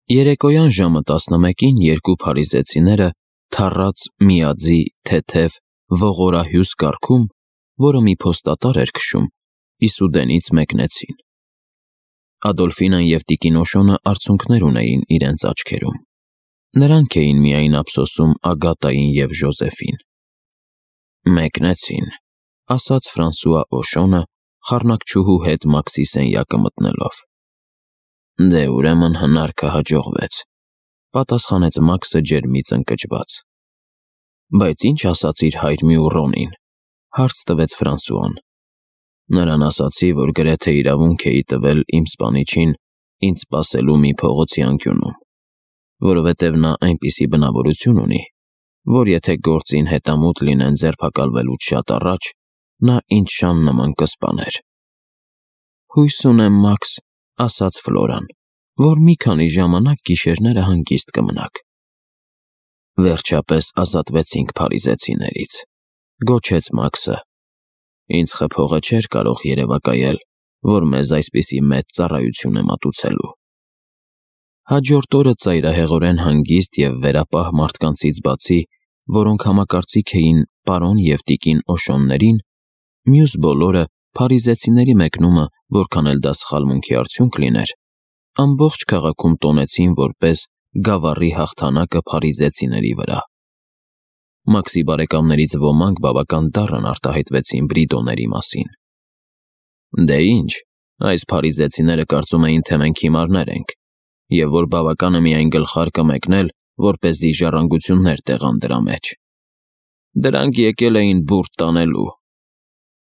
Երեկոյան ժամը 11-ին երկու փարիզեցիները թառած միաձի թեթև ողորահյուս կառքում, որը մի փոստատար էր քշում, Իսուդենից մեկնեցին։ Ադոլֆինան և տիկին Օշոնը արցունքներ ունեին իրենց աչքերում։ Նրանք էին միայն ափսոսում Ագատային և Ժոզեֆին։ «Մեկնեցին», ասաց Ֆրանսուଆ Օշոնը, խառնակչուհու հետ Մաքսի սենյակը մտնելով։ «Դե ուրեմն հնարքը հաջողվեց», պատասխանեց Մաքսը ջերմից ընկճված։ «Բայց ինչ ասացիր հայր Մյուռոնին», հարց տվեց Ֆրանսուան։ Նրան ասացի, որ գրեթե իրավունք էի տվել իմ սպանիչին ինձ սպասելու մի փողոցի անկյունում, որովհետև նա այնպիսի բնավորություն ունի, որ եթե գործին հետամուտ լինեն ձերբակալվելուց շատ առաջ, նա ինձ շան նման կսպաներ։ «Հույս ունեմ, Մաքս», ասաց Ֆլորան, «որ մի քանի ժամանակ գիշերները հանգիստ կմնաք»։ «Վերջապես ազատվեցինք փարիզեցիներից», գոչեց Մաքսը։ «Ինձ խփողը չէր կարող երևակայել, որ մեզ այսպիսի մեծ ծառայություն է մատուցելու»։ Հաջորդ օրը ծայրահեղորեն հանգիստ և վերապահ մարդկանցից բացի, որոնք համակարծիք էին պարոն և տիկին Օշոններին, մյուս բոլորը փարիզեցիների մեկնումը, որքան էլ դա սխալմունքի արդյունք լիներ, ամբողջ քաղաքում տոնեցին որպես գավառի հաղթանակը փարիզեցիների վրա։ Մաքսի բարեկամներից ոմանք բավական դառն արտահայտվեցին Բրիդոների մասին։ «Դե ինչ, այս փարիզեցիները կարծում էին, թե մենք հիմարներ ենք, և որ բավական է միայն գլխարկը մեկնել, որպեսզի ժառանգություններ տեղան դրա մեջ։ Դրանք եկել էին բուրդ տանելու,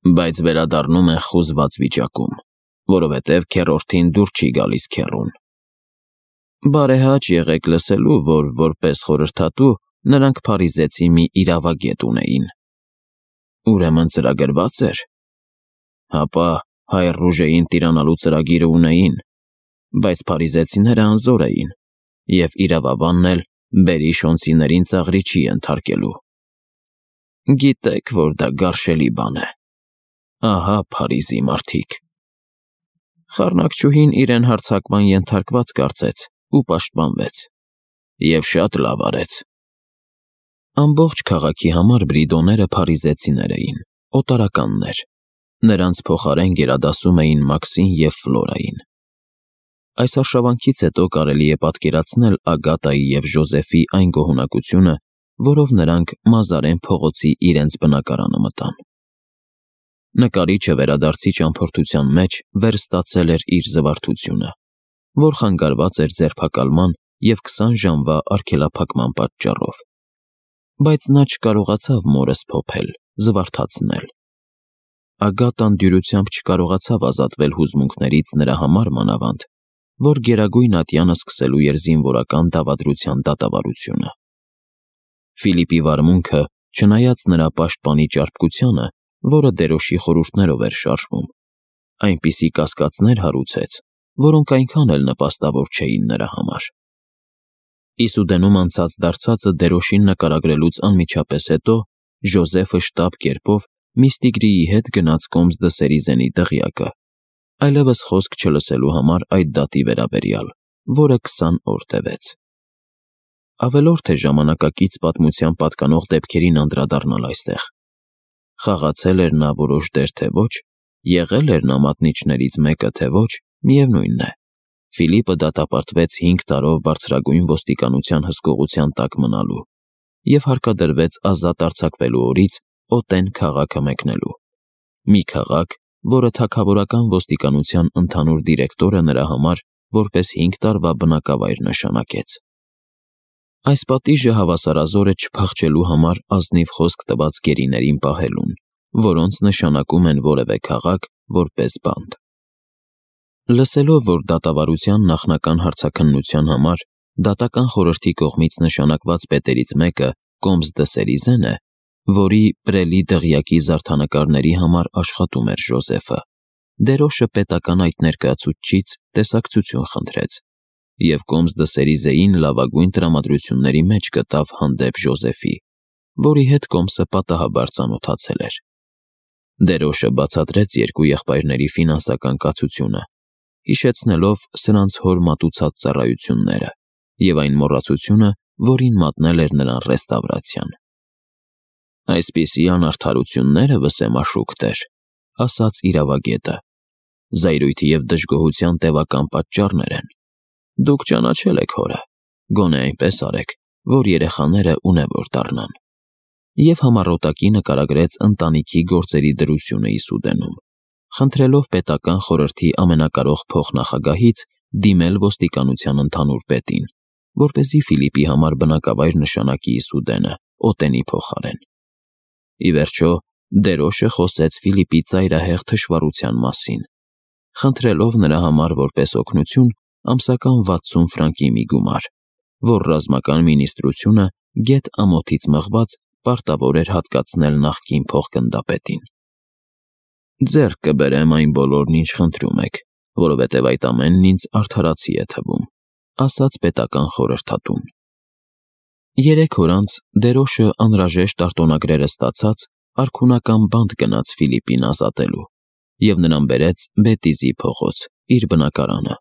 բայց վերադառնում են խուզված վիճակում, որովհետև քեռորդին դուր չի գալիս քեռուն։ Բարեհաճ եղեք լսելու, որ որպես խորհրդատու նրանք փարիզեցի մի իրավագետ ունեին»։ «Ուրեմն ծրագրված էր»։ «Հապա հայր Ռուժեին տիրանալու ծրագիրը ունեին, բայց փարիզեցիները անզոր էին, և իրավաբանն էլ բերիշոնցիներին ծաղրի չի ենթարկելու։ Գիտեք, որ դա գարշելի բան է։ Ահա Փարիզի մարդիկ»։ Խառնակչուհին իրեն հարձակման ենթարկված կարծեց ու պաշտպանվեց։ Եվ շատ լավ արեց։ Ամբողջ քաղաքի համար Բրիդոները փարիզեցիներ էին, օտարականներ։ Նրանց փոխարեն գերադասում էին Մաքսին և Ֆլորային։ Այս արշավանքից հետո կարելի է պատկերացնել Ագատայի և Ժոզեֆի այն գոհունակությունը, որով նրանք Մազարեն փողոցի իրենց բնակարանը մտան։ Նկարիչը վերադարձի ճամփորդության մեջ վերստացել էր իր զվարթությունը, որ խանգարված էր ձերբակալման և 20 ժամվա արգելափակման պատճառով։ Բայց նա չկարողացավ մորը սփոփել, զվարթացնել։ Ագատան դյուրությամբ չկարողացավ ազատվել հուզմունքներից նրա համար մանավանդ, որ Գերագույն ատյանը սկսելու էր զինվորական դավադրության դատավարությունը։ Ֆիլիպի վարմունքը, չնայած նրա պաշտպանի ճարպկությանը, որը դերոշի խորհուրդներով էր շարժվում, այնպիսի կասկածներ հարուցեց, որոնք այնքան էլ նպաստավոր չէին նրա համար։ Իսուդենում անցած դարձածը դերոշին նկարագրելուց անմիջապես հետո Ժոզեֆը շտապ կերպով Միստիգրիի հետ գնաց Կոմս դը Սերիզենի դղյակը, այլևս խոսք չլսելու համար այդ դատի վերաբերյալ, որը 20 օր տևեց։ Ավելորդ է ժամանակակից պատմության պատկանող դեպքերին անդրադառնալ այստեղ։ Խաղացել էր նա որոշ դեր, թե ոչ, եղել էր նա մատնիչներից մեկը, թե ոչ, միևնույն է։ Ֆիլիպը դատապարտվեց 5 տարով բարձրագույն ոստիկանության հսկողության տակ մնալու և հարկադրվեց ազատ արձակվելու օրից Օտեն քաղաքը մեկնելու։ Մի քաղաք, որը թագավորական ոստիկանության ընդհանուր դիրեկտորը նրա համար որպես 5 տարվա բնակավայր նշանակեց։ Այս պատիժը հավասարազոր է չփախչելու համար ազնիվ խոսք տված գերիներին պահելուն, որոնց նշանակում են որևէ քաղաք որպես բանտ։ Լսելով, որ դատավարության նախնական հարցաքննության համար դատական խորհրդի կողմից նշանակված պետերից մեկը Կոմս դը Սերիզեն է, որի Պրելի դղյակի զարդանկարների համար աշխատում էր Ժոզեֆը, դերոշը պետական այդ ներկայացուցչից տեսակցություն խնդրեց և Կոմս դը Սերիզեին լավագույն տրամադրությունների մեջ գտավ հանդեպ Ժոզեֆի, որի հետ Կոմսը պատահաբար ծանոթացել էր։ Դերոշը բացատրեց երկու եղբայրների ֆինանսական կացությունը, հիշեցնելով սրանց հոր մատուցած ծառայությունները և այն մոռացությունը, որին մատնել էր նրան ռեստավրացիան։ «Այսպիսի անարդարությունները, վսեմաշուք տեր», ասաց իրավագետը, «զայրույթի և դժգոհության տևական պատճառներ են։ Դուք ճանաչել եք հորը, գոնե այնպես արեք, որ երեխաները ունևոր դառնան»։ Եվ համառոտակի նկարագրեց ընտանիքի գործերի դրությունը Իսուդենում, խնդրելով պետական խորհրդի ամենակարող փոխնախագահից դիմել ոստիկանության ընդհանուր պետին, որպեսզի Ֆիլիպի համար բնակավայր նշանակի Իսուդենը, Օտենի փոխարեն։ Ի վերջո, Դերոշը խոսեց Ֆիլիպի ծայրահեղ թշվառության մասին, խնդրելով նրա համար որպես օգնություն ամսական 60 ֆրանկի մի գումար, որ ռազմական մինիստրությունը գեթ ամոթից մղված պարտավոր էր հատկացնել նախկին փոխգնդապետին։ «Ձեռք կբերեմ այն բոլորն, ինչ խնդրում եք, որովհետև այդ ամենն ինձ արդարացի է թվում», ասաց պետական խորհրդատուն։ 3 օր անց Դերոշը անհրաժեշտ արտոնագրերը ստացած արքունական բանտ գնաց Ֆիլիպին ազատելու և նրան բերեց Բետիզի փողոց, իր բնակարանը։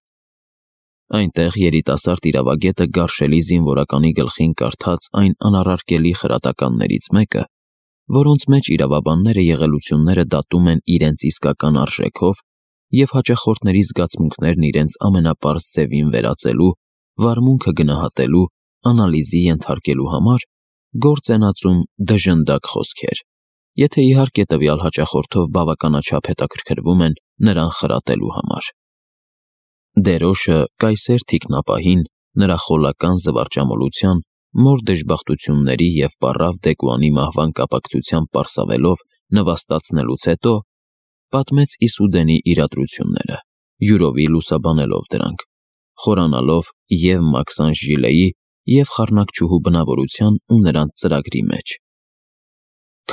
Այնտեղ երիտասարդ իրավագետը գարշելի զինվորականի գլխին կարդաց այն անառարկելի խրատականներից մեկը, որոնց մեջ իրավաբանները եղելությունները դատում են իրենց իսկական արժեքով և հաճախորդների զգացմունքներն իրենց ամենապարզ ձևին վերածելու, վարմունքը գնահատելու, անալիզի ենթարկելու համար գործ են ածում դժնդակ խոսքեր, եթե իհարկե տվյալ հաճախորդով բավականաչափ հետաքրքրվում են նրան խրատելու համար։ Դերոշը կայսեր թիկնապահին նրա խոլական զվարճամոլության, մոր դժբախտությունների և պառավ Դեկուանի մահվան կապակցությամբ պարսավելով նվաստացնելուց հետո պատմեց Իսուդենի իրադրությունները, յուրովի լուսաբանելով դրանք, խորանալով և Մաքսանժ Ժիլեի և խառնակչուհու բնավորության ու նրանց ծրագրի մեջ։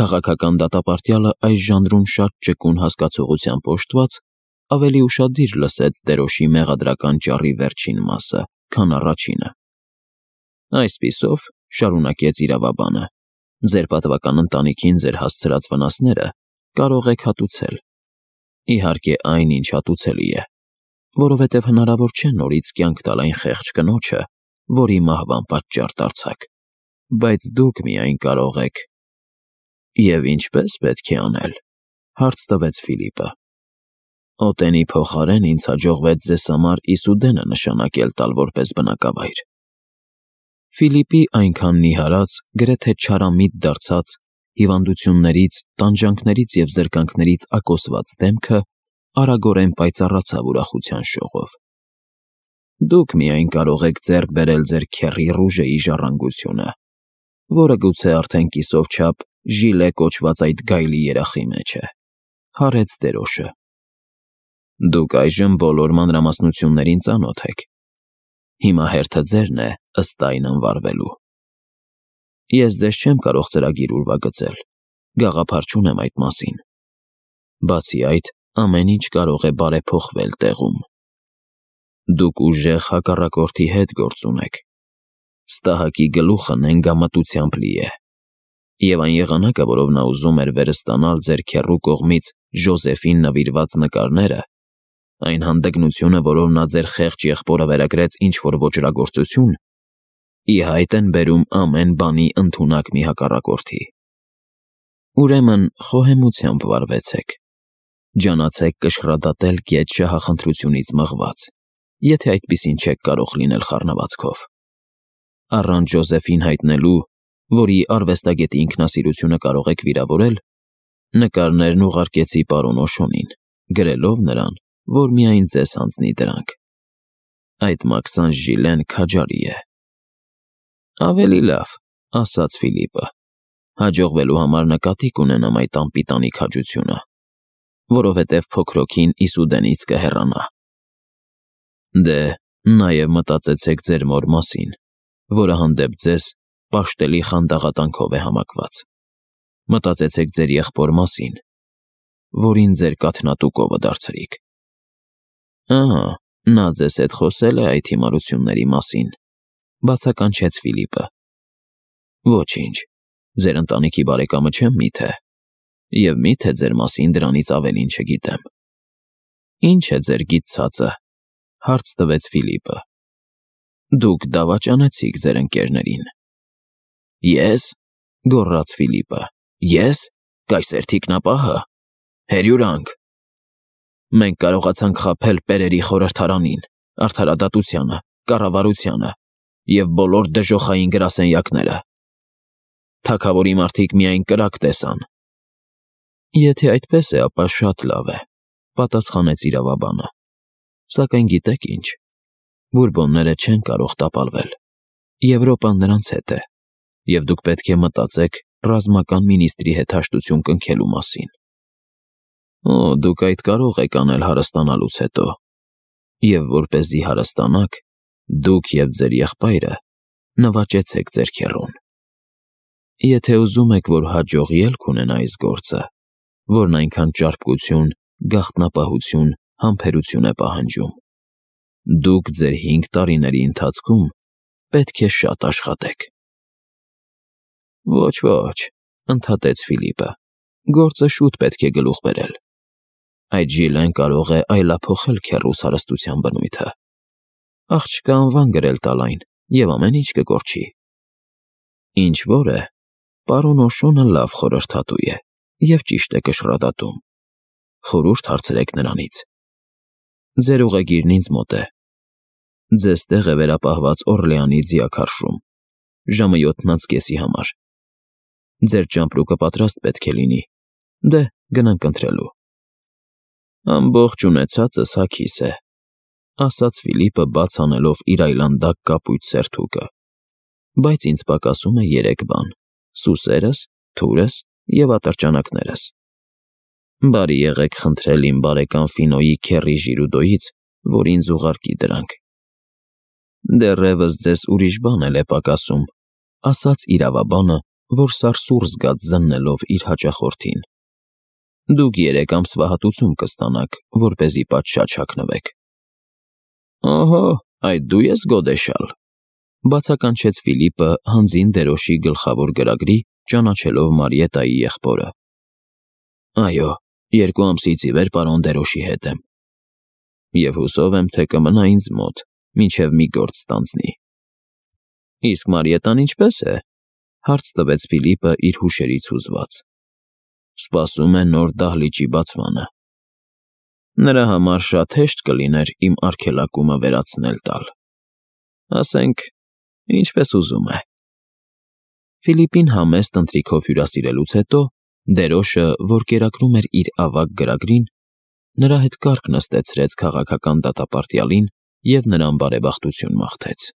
Քաղաքական դատապարտյալը այս ժանրում շատ ճկուն հասկացողությամբ օժտված, ավելի ուշադիր լսեց Դերոշի մեղադրական ճառի վերջին մասը, քան առաջինը։ «Այսպիսով, — շարունակեց իրավաբանը, — ձեր պատվական ընտանիքին ձեր հասցրած վնասները կարող եք հատուցել։ Իհարկե այն, ինչ հատուցելի է, որովհետև հնարավոր չէ նորից կյանք տալ այն խեղճ կնոջը, որի մահվան պատճառ դարձաք, բայց դուք միայն կարող եք»։ «Եվ ինչպե՞ս պետք է անել», հարց տվեց Ֆիլիպը։ «Օտենի փոխարեն ինձ հաջողվեց ձեզ համար Իսուդենը նշանակել տալ որպես բնակավայր»։ Ֆիլիպի այնքան նիհարած, գրեթե չարամիտ դարձած, հիվանդություններից, տանջանքներից և զրկանքներից ակոսված դեմքը արագորեն պայծառացավ ուրախության շողով։ «Դուք միայն կարող եք ձեռք բերել ձեր քեռի Ռուժեի ժառանգությունը, որը գուցե արդեն կիսով չափ Ժիլե կոչված այդ գայլի երախի մեջ է», հարեց Դերոշը։ «Դուք այժմ բոլոր մանրամասնություններին ծանոթ եք։ Հիմա հերթը ձերն է ըստ այն ընվարվելու։ Ես ձեզ չեմ կարող ծրագիր ուրվագծել, գաղափար չունեմ այդ մասին։ Բացի այդ, ամեն ինչ կարող է բարեփոխվել տեղում։ Դուք ուժեղ հակառակորդի հետ գործ ունեք։ Ստահակի գլուխը նենգամտությամբ լի է, և այն եղանակը, որով նա ուզում էր վերստանալ ձեր քեռու կողմից Ժոզեֆին նվիրված նկարները, այն հանդգնությունը, որով նա ձեր խեղճ եղբորը վերագրեց ինչ-որ ոճրագործություն, ի հայտ են բերում ամեն բանի ընդունակ մի հակառակորդի։ Ուրեմն խոհեմությամբ վարվեցեք։ Ջանացեք կշռադատել գեթ շահախնդրությունից մղված, եթե այդպիսին չեք կարող լինել խառնվածքով։ Առանց Ժոզեֆին հայտնելու, որի արվեստագետի ինքնասիրությունը կարող եք վիրավորել, նկարներն ուղարկեցի պարոն Օշոնին, գրելով նրան, որ միայն ձեզ հանձնի դրանք։ Այդ Մաքսանժ Ժիլեն քաջարի է»։ «Ավելի լավ», ասաց Ֆիլիպը, «հաջողվելու համար նկատի կունենամ այդ անպիտանի քաջությունը, որովհետև փոքրոքին Իսուդենից կհեռանա։ Դե, նաև մտածեցեք ձեր մոր մասին, որը հանդեպ ձեզ պաշտելի խանդաղատանքով է համակված։ Մտածեցեք ձեր եղբոր մասին, որին ձեր կաթնատու կովը դարձրիք»։ «Ահա, նա ձեզ հետ խոսել է այդ հիմարությունների մասին», բացականչեց Ֆիլիպը։ «Ոչինչ, ձեր ընտանիքի բարեկամը չեմ միթե, և միթե ձեր մասին դրանից ավելին չգիտեմ»։ «Ինչ է ձեր գիտցածը», հարց տվեց Ֆիլիպը։ Դուք դավաճանեցիք ձեր ընկերներին։ Ես, գոռաց Ֆիլիպը, ես, կայսեր թիկնապահը, հերյուրանք։ Մենք կարողացանք խաբել Պերերի խորհրդարանին, արդարադատությանը, կառավարությանը և բոլոր դժոխային գրասենյակները։ Թագավորի մարդիկ միայն կրակ տեսան։ Եթե այդպես է, ապա շատ լավ է, պատասխանեց իրավաբանը։ Սակայն գիտեք ինչ, բուրբոնները չեն կարող տապալվել։ Եվրոպան նրանց հետ է, և դուք պետք է մտածեք ռազմական մինիստրի հետ հաշտություն կնքելու մասին։ Դուք այդ կարող եք անել հարստանալուց հետո, և որպեսզի հարստանաք, դուք և ձեր եղբայրը նվաճեցեք ձեր քեռուն։ Եթե ուզում եք, որ հաջող ելք ունենա այս գործը, որն այնքան ճարպկություն, գաղտնապահություն, համբերություն է պահանջում, դուք ձեր 5 տարիների ընթացքում պետք է շատ աշխատեք։ Ոչ, ընդհատեց Ֆիլիպը, գործը շուտ պետք է գլուխ բերել։ Այդ Ժիլեն կարող է այլափոխել քեռուս հարստության բնույթը։ Աղջկա անվան գրել տալ այն, և ամեն ինչ կկորչի։ Ինչ որ է, պարոն Օշոնը լավ խորհրդատու է և ճիշտ է կշռադատում։ Խորհուրդ հարցրեք նրանից։ Ձեր ուղեգիրն ինձ մոտ է։ Ձեզ տեղ է վերապահված Օրլեանի ձիաքարշում, ժամը 7:30 համար։ Ձեր ճամպրուկը պատրաստ պետք է լինի։ Դե, գնանք ընթրելու։ Ամբողջ ունեցածս հագիս է, ասաց Ֆիլիպը բաց անելով իր այլանդակ կապույտ սերթուկը, բայց ինձ պակասում է 3 բան՝ սուսերս, թուրս և ատրճանակներս։ Բարի եղեք խնդրել իմ բարեկամ Ֆինոյի քեռի Ժիրուդոյից, որ ինձ ուղարկի դրանք։ Դեռևս ձեզ ուրիշ բան էլ է պակասում, ասաց իրավաբանը, որ սարսուռ զգաց զննելով իր հաճախորդին։ Դուք 3 ամսվա հատուցում կստանաք, որպեսզի պատշաճ հագնվեք։ Ահա, այդ դու ես գոդեշալ, բացականչեց Ֆիլիպը հանձին դերոշի գլխավոր գրագրի, ճանաչելով Մարիետայի եղբորը։ Այո, 2 ամսից ի վեր պարոն դերոշի հետ եմ։ Եվ հուսով եմ, թե կմնա ինձ մոտ, մինչև մի գործ ստանձնի։ Իսկ Մարիետան ինչպես է, հարց տվեց Ֆիլիպը իր հուշերից հուզված։ Սպասում է նոր դահլիճի բացմանը։ Նրա համար շատ հեշտ կլիներ իմ արգելակումը վերացնել տալ։ Ասենք, ինչպես ուզում է։ Ֆիլիպին համեստ ընթրիքով հյուրասիրելուց հետո, դերոշը, որ կերակրում էր իր ավագ գրագրին, նրա հետ կարգ նստեցրեց քաղաքական դատապարտյալին և նրան բարեբախտություն մաղթեց։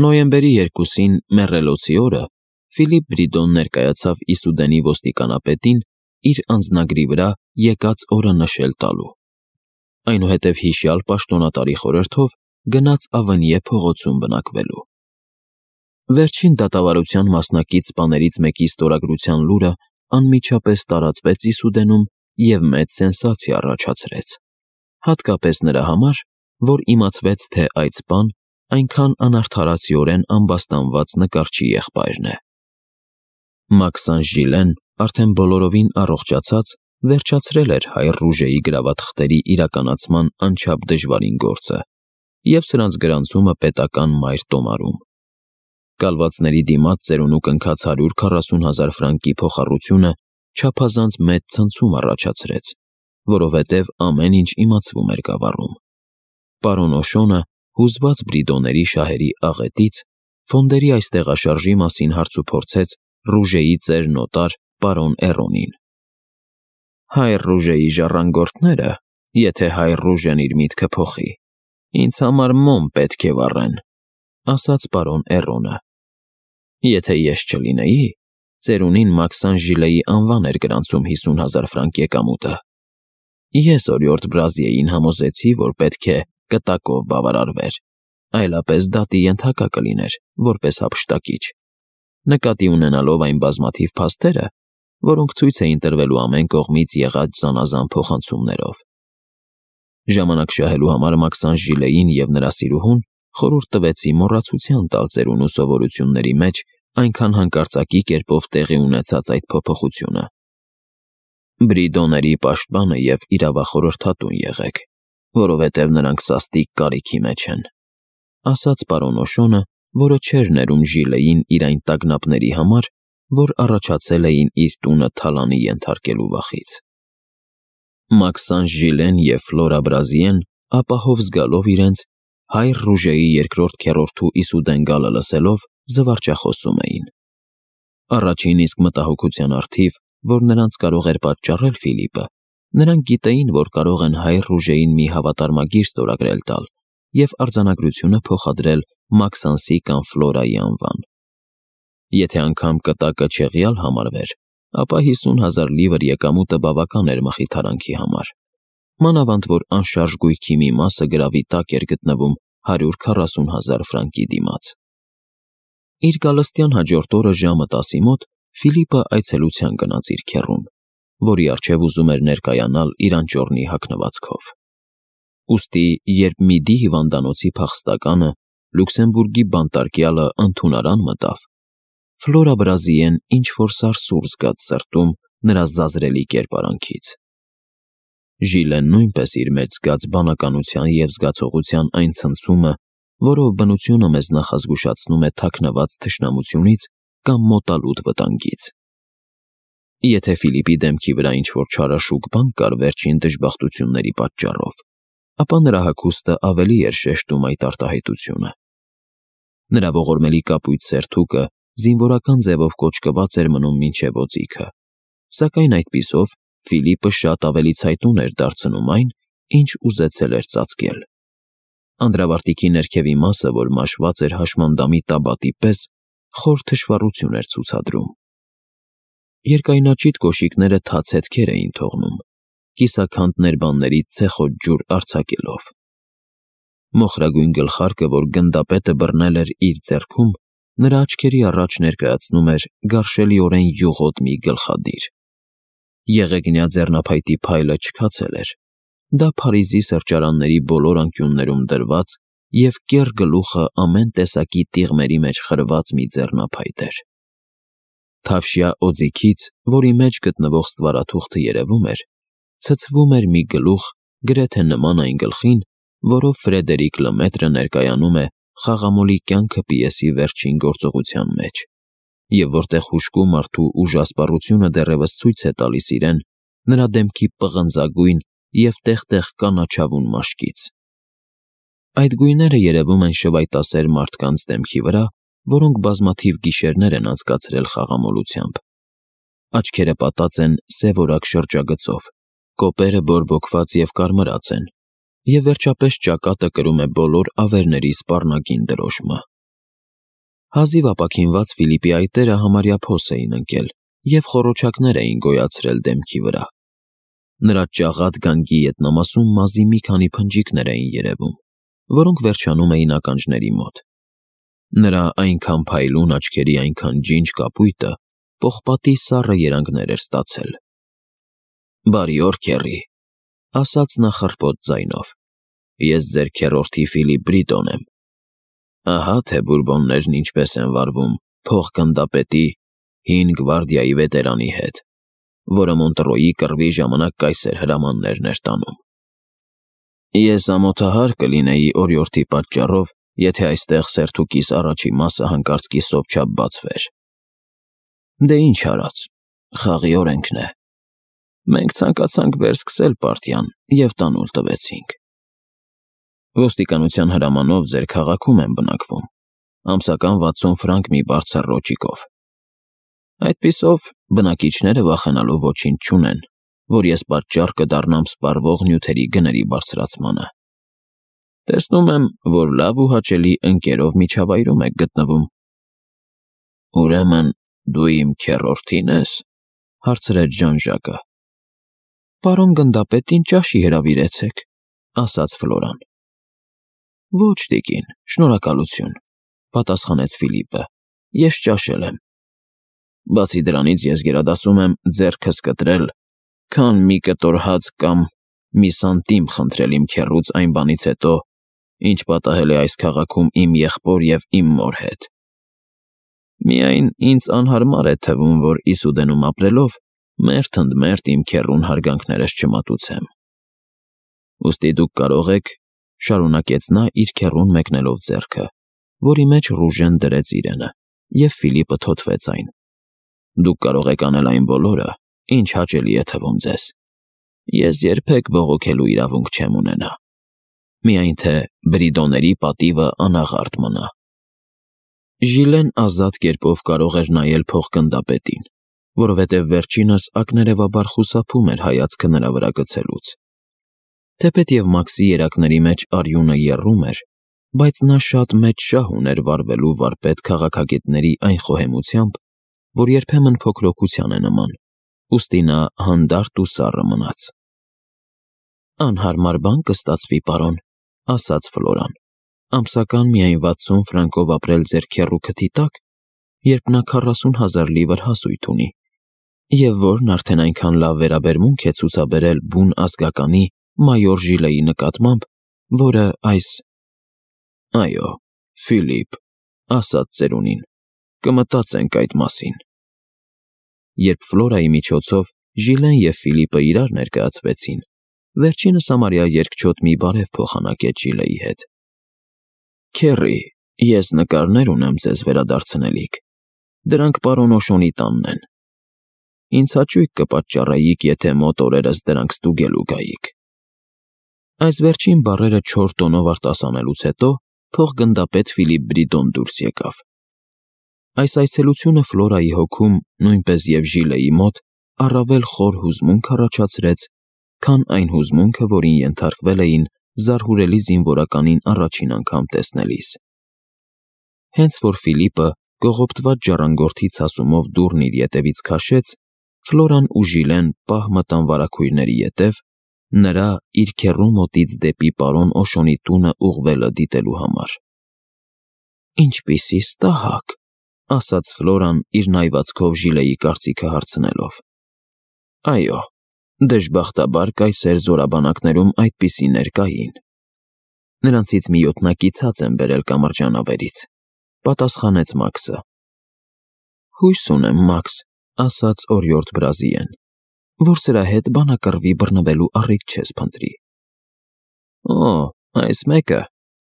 Նոյեմբերի 2-ին մեռելոցի օրը Ֆիլիպ Բրիդոն ներկայացավ Իսուդենի ոստիկանապետին իր անձնագրի վրա եկած օրը նշել տալու։ Այնուհետև հիշյալ պաշտոնատարի խորհրդով գնաց Ավենիե փողոցում բնակվելու։ Վերջին դատավարության մասնակից սպաներից մեկի ստորագրության լուրը անմիջապես տարածվեց Իսուդենում և մեծ սենսացիա առաջացրեց, հատկապես նրա համար, որ իմացվեց, թե այդ սպան այնքան անարդարացիորեն ամբաստանված նկարչի եղբայրն է։ Մաքսան Ժիլեն, արդեն բոլորովին առողջացած, վերջացրել էր հայր Ռուժեի գրավատխտերի իրականացման անչափ դժվարին գործը և սրանց գրանցումը պետական մայր տոմարում։ Կալվածների դիմաց ծերունու կնքած 140,000 ֆրանկի փոխառությունը չափազանց մեծ ցնցում առաջացրեց, որովհետև ամեն ինչ իմացվում էր գավառում։ Պարոն Օշոնը, հուզված Բրիդոների շահերի աղետից, ֆոնդերի այս տեղաշարժի մասին հարցուփորձեց Ռուժեի ծեր նոտար պարոն Էրոնին։ Հայր Ռուժեի ժառանգորդները, եթե հայր Ռուժեն իր միտքը փոխի, ինձ համար մոմ պետք է վառեն, ասաց պարոն Էրոնը։ Եթե ես չլինեի, ծերունին Մաքսան Ժիլեի անվան էր գրանցում 50,000 ֆրանկ եկամուտը։ Ես օրիորդ Բրազիեին համոզեցի, որ պետք է կտակով բավարարվեր, այլապես դատի ենթակա կլիներ, որպես հափշտակիչ, նկատի ունենալով այն բազմաթիվ փաստերը, որոնք ցույց էին տրվելու ամեն կողմից եղած զանազան փոխանցումներով։ Ժամանակ շահելու համար Մաքսան Ժիլեին և նրա սիրուհուն խորհուրդ տվեցի մոռացության տալ ծերունու սովորությունների մեջ այնքան հանկարծակի կերպով տեղի ունեցած այդ փոփոխությունը։ Բրիդոների պաշտպանը և իրավախորհրդատուն եղեք, որովհետև նրանք սաստիկ կարիքի մեջ են։ ասաց պարոն Օշոնը, որը չէր ներում Ժիլեին իր այն տագնապների համար, որ առաջացել էին իր տունը թալանի ենթարկելու վախից։ Մաքսանժ Ժիլեն և Ֆլորա Բրազիեն, ապահով զգալով իրենց, հայր Ռուժեի երկրորդ քեռորդու Իսուդեն գալը լսելով, զվարճախոսում էին։ Առաջին իսկ մտահոգության առթիվ, որ նրանց կարող էր պատճառել Ֆիլիպը, նրանք գիտեին, որ կարող են հայր Ռուժեին մի հավատարմագիր ստորագրել տալ և արձանագրությունը փոխադրել Մաքսանսի կամ Ֆլորայի անվան։ Եթե անգամ կտակը չեղյալ համարվեր, ապա 50,000 լիվր եկամուտը բավական էր մխիթարանքի համար, մանավանդ որ անշարժ գույքի մի մասը գրավի տակ էր գտնվում 140,000 ֆրանկի դիմաց։ Իր գալստյան հաջորդ օրը ժամը 10-ի մոտ Ֆիլիպը այցելության գնաց իր քեռուն, որի առջև ուզում էր ներկայանալ իր անճոռնի հագնվածքով։ Ուստի, երբ Միդի հիվանդանոցի փախստականը, Լյուքսեմբուրգի բանտարկյալը ընդունարան մտավ, Ֆլորա Բրազիեն ինչ-որ սարսուռ զգաց սրտում նրա զազրելի կերպարանքից։ Ժիլեն նույնպես իր մեջ զգաց բանականության և զգացողության այն ցնցումը, որով բնությունը մեզ նախազգուշացնում է թաքնված թշնամությունից կամ մոտալուտ վտանգից։ Եթե Ֆիլիպի դեմքի վրա ինչ-որ չարաշուկ բան կար վերջին դժբախտությունների պատճառով, ապա նրա հագուստը ավելի էր շեշտում այդ արտահայտությունը։ Նրա ողորմելի կապույտ սերթուկը զինվորական ձևով կոճկված էր մնում մինչև օձիքը, սակայն այդպիսով Ֆիլիպը շատ ավելի ցայտուն էր դարձնում այն, ինչ ուզեցել էր ծածկել։ Անդրավարտիքի ներքևի մասը, որ մաշված էր հաշմանդամի տաբատի պես, խոր թշվառություն էր ցուցադրում։ Երկայնաճիտ կոշիկները թաց հետքեր էին թողնում, կիսաքանդ ներբաններից ցեխոտ ջուր արձակելով։ Մոխրագույն գլխարկը, որ գնդապետը բռնել էր իր ձեռքում, նրա աչքերի առաջ ներկայացնում էր գարշելիորեն յուղոտ մի գլխադիր։ Եղեգնյա ձեռնափայտի փայլը չքացել էր։ Դա Փարիզի սրճարանների բոլոր անկյուններում դրված և կեռ գլուխը ամեն տեսակի տիղմերի մեջ խրված մի ձեռնափայտ էր։ Թավշյա օձիքից, որի մեջ գտնվող ստվարաթուղթը երևում էր, ցցվում էր մի գլուխ, գրեթե նման այն գլխին, որով Ֆրեդերիկ Լեմետրը ներկայանում է «Խաղամոլի կյանքը» պիեսի վերջին գործողության մեջ, և որտեղ հուժկու մարդու ուժասպառությունը դեռևս ցույց է տալիս իրեն նրա դեմքի պղնձագույն և տեղ-տեղ կանաչավուն մաշկից։ Այդ գույները երևում են շվայտասեր մարդկանց դեմքի վրա, որոնք բազմաթիվ գիշերներ են անցկացրել խաղամոլությամբ։ Աչքերը պատած են սևորակ շրջագծով, կոպերը բորբոքված և կարմրած են, և վերջապես ճակատը կրում է բոլոր ավերների սպառնագին դրոշմը։ Հազիվ ապաքինված Ֆիլիպի այտերը համարյա փոս էին ընկել և խոռոչակներ էին գոյացրել դեմքի վրա։ Նրա ճաղատ գանգի ետնամասում մազի մի քանի փնջիկներ էին երևում, որոնք վերջանում էին ականջների մոտ։ Նրա այնքան փայլուն աչքերի այնքան ջինջ կապույտը պողպատի սառը երանգներ էր ստացել։ «Բարի օր, քեռի», ասաց նա խռպոտ ձայնով։ «Ես ձեր քեռորդի Ֆիլիպ Բրիտոն եմ։ Ահա թե բուրբոններն ինչպես են վարվում փոխգնդապետի հին գվարդիայի վետերանի հետ, որը Մոնտրոյի կռվի ժամանակ կայսեր հրամաններն էր տանում։ Ես ամոթահար կլինեի օրիորդի պատճառով, եթե այստեղ սերթուկիս առաջի մասը հանկարծ կիսով չափ բացվեր։ Դե ինչ արած, խաղի օրենքն է։ Մենք ցանկացանք վերսկսել պարտիան և տանուլ տվեցինք։ Ոստիկանության հրամանով ձեր քաղաքում եմ բնակվում, ամսական 60 ֆրանկ մի բարձր ռոճիկով։ Այդպիսով բնակիչները վախենալու ոչինչ չունեն, որ ես պատճառ կդառնամ սպառվող նյութերի գների բարձրացմանը։ Տեսնում եմ, որ լավ ու հաճելի ընկերով միջավայրում եք գտնվում։ Ուրեմն դու իմ քեռորդի՞ն ես, հարցրեց Ժան-Ժակը։ Պարոն գնդապետին ճաշի հրավիրեցեք, ասաց Ֆլորան։ Ոչ, տիկին, շնորհակալություն, պատասխանեց Ֆիլիպը, ես ճաշել եմ։ Բացի դրանից ես գերադասում եմ ձեռքս կտրել, քան մի կտոր հաց կամ մի սանտիմ խնդրել իմ քեռուց այն բանից հետո, ինչ պատահել է այս քաղաքում իմ եղբոր և իմ մոր հետ։ Միայն ինձ անհարմար է թվում, որ Իսուդենում ապրելով մերթ ընդ մերթ իմ քեռուն հարգանքներս չմատուցեմ։ Ուստի դուք կարող եք, շարունակեց նա իր քեռուն մեկնելով ձեռքը, որի մեջ Ռուժեն դրեց իրենը, և Ֆիլիպը թոթվեց այն։ Դուք կարող եք անել այն բոլորը, ինչ հաճելի է թվում ձեզ։ Ես երբեք բողոքելու իրավունք չեմ ունենա։ Միայն թե Բրիդոների պատիվը անաղարտ մնա։ Ժիլեն ազատ կերպով կարող էր նայել փոխգնդապետին, որովհետև վերջինս ակներևաբար խուսափում էր հայացքը նրա վրա գցելուց։ Թեպետև Մաքսի երակների մեջ արյունը եռում էր, բայց նա շատ մեծ շահ ուներ վարվելու վարպետ քաղաքագետների այն խոհեմությամբ, որ երբեմն փոքրոքության է նման, ուստի նա հանդարտ ու սառը մնաց։ Անհարմար բան կստացվի, պարոն, ասաց Ֆլորան, ամսական միայն 60 ֆրանկով ապրել ձեր քեռու քթի տակ, երբ նա 40,000 լիվր հասույթ ունի, և որն արդեն այնքան լավ վերաբերմունք է ցուցաբերել բուն ազգականի մայոր Ժիլեի նկատմամբ, որը այս… Այո, Ֆիլիպ, ասաց ծերունին, կմտածենք այդ մասին։ Երբ Ֆլորայի միջոցով Ժիլեն և Ֆիլիպը իրար ներկայացվեցին, վերջինս համարյա երկչոտ մի բարև փոխանակեց Ժիլեի հետ։ Քեռի, ես նկարներ ունեմ ձեզ վերադարձնելիք, դրանք պարոն Օշոնի տանն են։ Ինձ հաճույք կպատճառեիք, եթե մոտ օրերս դրանք ստուգելու գայիք։ Այս վերջին բառերը 4 տոնով արտասանելուց հետո փոխգնդապետ Ֆիլիպ Բրիդոն դուրս եկավ։ Այս այցելությունը Ֆլորայի հոգում, նույնպես և Ժիլեի մոտ, առավել խոր հուզմունք առաջացրեց, քան այն հուզմունքը, որին ենթարկվել էին զարհուրելի զինվորականին առաջին անգամ տեսնելիս։ Հենց որ Ֆիլիպը կողոպտված ժառանգորդի ցասումով դուռն իր ետևից քաշեց, Ֆլորան ու Ժիլեն պահ մտան վարագույրների ետև, նրա իր քեռու մոտից դեպի պարոն Օշոնի տունը ուղղվելը դիտելու համար։ Ինչպիսի ստահակ, ասաց Ֆլորան իր նայվածքով Ժիլեի կարծիքը հարցնելով։ Այո, դժբախտաբար կայսեր զորաբանակներում այդպիսիներ կային։ Նրանցից մի յոթնակից եմ բերել կամրջանավերից, պատասխանեց Մաքսը։ Հույս ունեմ, Մաքս, ասաց օրիորդ Բրազիեն, որ սրա հետ բանակռվի բռնվելու առիթ չես փնտրի։ Օ, այս մեկը,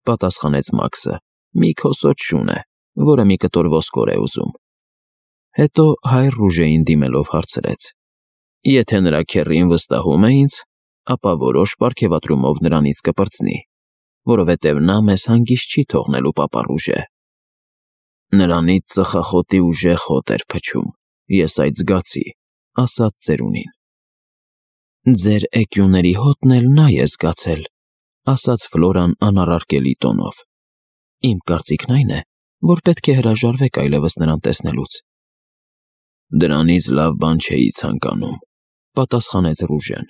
պատասխանեց Մաքսը, մի քոսոտ շուն է, որը մի կտոր ոսկոր է ուզում։ Հետո հայր Ռուժեին դիմելով հարցրեց. Եթե նրա քեռին վստահում է ինձ, ապա որոշ պարգևատրումով նրանից կպրծնի, որովհետև նա մեզ հանգիստ չի թողնելու պապա Ռուժե։ Նրանից ծխախոտի ուժեղ հոտ էր փչում, ես այդ զգացի, ասաց ծերունին։ Ձեր էկյուների հոտն էլ նա է զգացել, ասաց Ֆլորան անառարկելի տոնով։ Իմ կարծիքն այն է, որ պետք է հրաժարվեք այլևս նրան տեսնելուց։ Դրանից լավ բան չէի ցանկանում, պատասխանեց Ռուժեն։